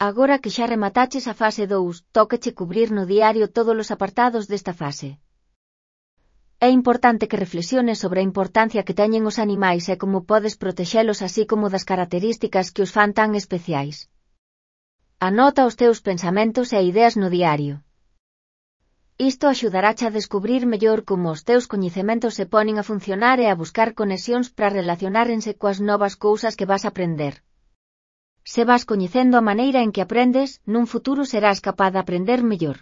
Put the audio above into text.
Agora que xa remataches a fase 2, tócache cubrir no diario todos os apartados desta fase. É importante que reflexiones sobre a importancia que teñen os animais e como podes protexelos así como das características que os fan tan especiais. Anota os teus pensamentos e ideas no diario. Isto axudarache a descubrir mellor como os teus coñecementos se ponen a funcionar e a buscar conexións para relacionárense coas novas cousas que vas aprender. Se vas coñecendo a maneira en que aprendes, nun futuro serás capaz de aprender mellor.